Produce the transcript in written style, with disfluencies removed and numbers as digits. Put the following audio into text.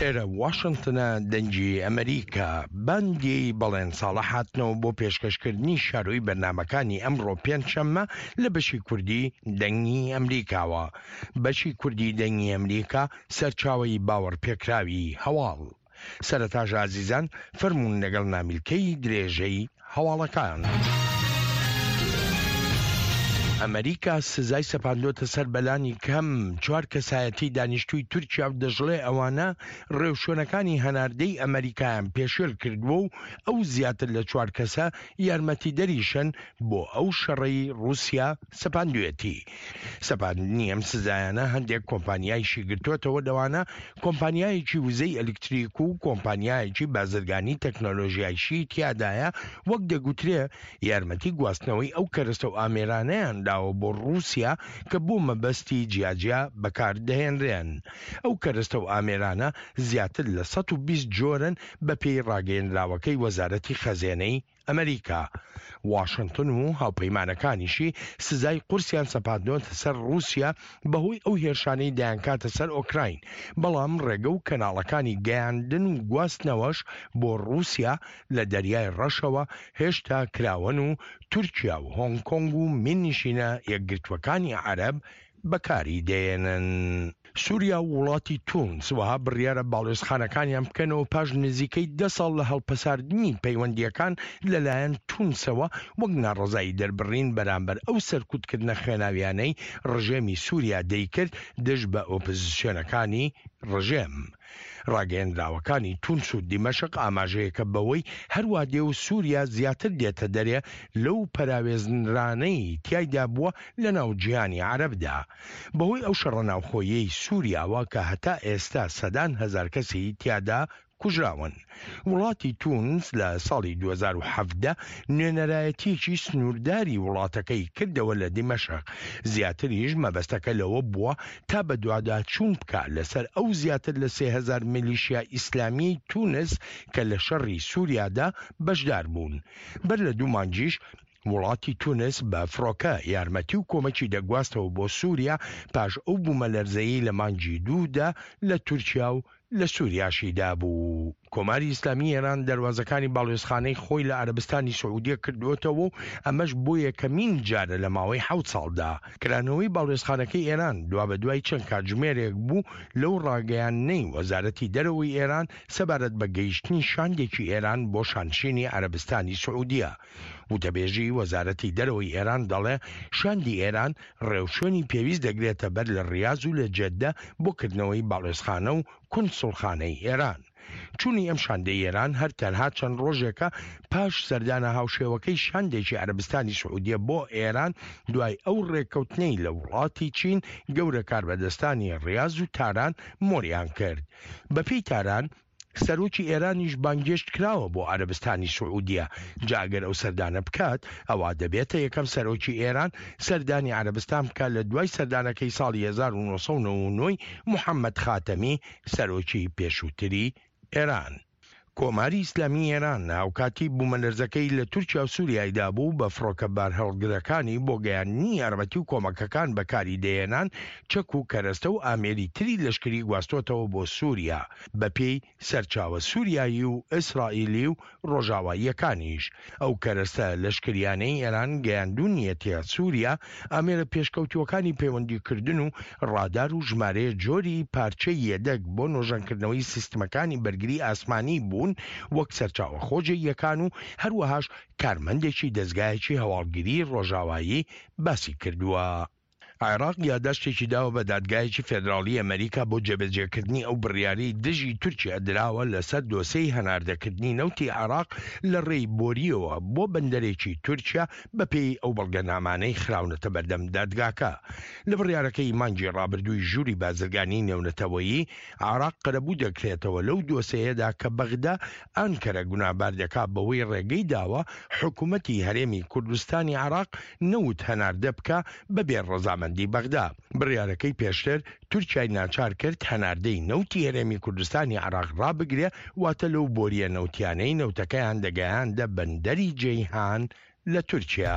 ئێرە واشنتنە دەنگی ئەمریکا باندی بەڵێن ساڵح هاتنەوە بۆ پێشکەشکردنی شارۆی بەرنامەکانی ئەمڕۆ پێنجشەممە لە بەشی کوردی دەنگی ئەمریکاوە. بەشی کوردی دەنگی ئەمریکا سەرچاوەی باوەڕپێکراوی هەواڵ. سەرەتاش ئازیزان فەرموون لەگەڵ نامیلکەی درێژەی هەواڵەکان. ئەمریکا سزای سەپاندۆتە سەر بەلانی کەم چوار کەسایەتی دانیشتووی تورکیا و دەشڵێ ئەوانە ڕێوشوێنەکانی هەناردەی ئەمریکایان پێشێل کردووە و ئەو زیاتر لە چوار کەسە یارمەتیدەریشن بۆ ئەو شەڕەی ڕووسیا سەپاندوێتی. سەپاندنی ئەم سزایانە هەندێک کۆمپانیایشی گرتووەتەوە لەوانە کۆمپانیایەکی وزەی ئەلکتریک و کۆمپانیایەکی بازرگانی تەکنۆلۆژیایشی تیادایە وەک دەگوترێ یارمەتی گواستنەوەی ئەو کەرەستە و ئامێرانەیان داوە بۆ ڕووسیا کە بۆ مەبەستی جیاجیا بەکار دەهێنرێن. ئەو کەرەستە و ئامێرانە زیاتر لە 120 جۆرن بەپێی ڕاگەیەنراوەکەی وەزارەتی خەزێنەی ئەمریکا، واشنتن و هاوپەیمانەکانیشی سزای قورسیان سەپاندۆتە سەر ڕووسیا بەهۆی ئەو هێرشانەی دەیانکاتە سەر ئۆکراین، بەڵام ڕێگە و کەناڵەکانی گەیاندن و گواستنەوەش بۆ ڕووسیا لە دەریای ڕەشەوە هێشتا کراوەن و تورکیا و هۆنگ کۆنگ و میرنشینە یەکگرتووەکانی عەرەب بەکاری دەێنن. سوریا و وڵاتی تونس وەها بڕیارە باڵیۆزخانەکانیان بکەنەوە پاش نزیکەی دە ساڵ لە هەڵپەساردنی پەیوەندییەکان لەلایەن تونسەوە وەک ناڕەزایی دەربڕین بەرامبەر ئەو سەرکوتکردنە خوێناویانەی ڕژێمی سوریا دەیکرد دژ بە ئۆپزسیۆنەکانی ڕژێم. ڕاگەیەندراوەکانی تونس و دیمەشق ئاماژەیەکە بەوەی هەروا دێ و سوریا زیاتر دێتە دەرێ لەو پەراوێزنرانەی تیایدا بووە لەناو جیهانی عەرەبدا بەهۆی ئەو شەڕە ناوخۆییەی سوریاوە کە هەتا ئێستا سەدان هەزار کەسی تیادا کوژراون. وڵاتی تونس لە ساڵی 2017 نوێنەرایەتییەکی سنوورداری وڵاتەکەی کردەوە لە دیمەشق، زیاتریش مەبەستەکە لەوە بووە تا بەدواداچوون بکا لەسەر ئەو زیاتر لە 3000 میلیشیا ئیسلامییەی تونس کە لە شەڕی سوریادا بەشدار بوون. بەر لە دوو مانگیش وڵاتی تونس بە فڕۆکە یارمەتی و کۆمەکی دەگواستەوە بۆ سوریا پاش ئەو بوومەلەرزەیەی لە مانگی دوودا لە تورکیا و لە سوریاشی دابوو. کۆماری ئیسلامی ئێران دەروازەکانی باڵیۆزخانەی خۆی لە عەرەبستانی سعودیە کردووەتەوە و ئەمەش بۆ یەکەمین جارە لە ماوەی حەوت ساڵدا. کرانەوەی باڵیۆزخانەکەی ئێران دوابەدوای چەند کاتژمێرێک بوو لەو ڕاگەیاندنەی وەزارەتی دەرەوەی ئێران سەبارەت بە گەیشتنی شاندێکی ئێران بۆ شانشینی عەرەبستانی سعودیە. وتەبێژی وەزارەتی دەرەوەی ئێران دەڵێ، شاندی ئێران ڕێوشوێنی پێویست دەگرێتە بەر لە ڕیاز و لە جەددە بۆ کردنەوەی باڵوێزخانە و کونسوڵخانەی ئێران. چوونی ئەم شاندەی ئێران هەر تەنها چەند ڕۆژێکە پاش سەردانە هاوشێوەکەی شاندێکی عەرەبستانی سعودیە بۆ ئێران دوای ئەو ڕێککەوتنەی لە وڵاتی چین گەورە کاربەدەستانی ڕیاز و تاران مۆریان کرد. بەپێی تاران، سەرۆکی ئێرانیش بانگێشت کراوە بۆ عەرەبستانی سعودیە، جا ئەگەر ئەو سەردانە بکات ئەوا دەبێتە یەکەم سەرۆکی ئێران سەردانی عەرەبستان بکات لە دوای سەردانەکەی ساڵی 1999 ی محەمەد خاتەمی سەرۆکی پێشووتری ئێران. کۆماری ئیسلامی ئێران هاوکاتی بوومەلەرزەکەی لە تورکیا و سوریای دابوو بە فڕۆکە بارهەڵگرەکانی بۆ گەیاندنی یارمەتی و کۆمەکەکان بەکاری دەهێنان چەک و کەرەستە و ئامێری تری لەشکری گواستۆتەوە بۆ سوریا بەپێی سەرچاوە سوریایی و ئیسرائیلی و ڕۆژاواییەکانیش، ئەو کەرەستە لەشکریانەی ئێران گەیاندوونیەتیە سوریا، ئامێرە پێشکەوتووەکانی پەیوەندیکردن و ڕادار و ژمارەیە جۆری پارچەی یەدەگ بۆ نۆژەنکردنەوەی سیستمەکانی بەرگری ئاسمانی بوون وەک سەرچاوە خۆجێییەکان و هەروەهاش کارمەندێکی دەزگایەکی هەواڵگری ڕۆژاوایی باسی کردووە. عێراق یاداشتێکی داوە بە دادگایەکی فێدراڵی ئەمەریکا بۆ جێبەجێکردنی ئەو بڕیارەی دژی تورکیا دراوە لەسەر دۆسێی هەناردەکردنی نەوتی عێراق لە ڕێی بۆرییەوە بۆ بەندەرێکی تورکیا بەپێی ئەو بەڵگەنامانەی خراونەتە بەردەم دادگاکە. لە بڕیارەکەی مانگی ڕابردووی ژووری بازرگانی نێونەتەوەیی عێراق قەرەبوو دەکرێتەوە لەو دۆسێیەدا کە بەغدا ئانکەرە گوناهبار دەکات بەوەی ڕێگەی داوە حکومەتی هەرێمی کوردستانی عێراق نەوت هەناردە بکا بەبێ ڕەزامەندی بەغدا. بڕیارەکەی پێشتر تورکیای ناچار کرد هەناردەی نەوتی هەرێمی کوردستانی عێراق ڕابگرێ، واتە لەو بۆرییە نەوتیانەی نەوتەکەیان دەگەیاندە بەندەری جەیهان لە تورکیا.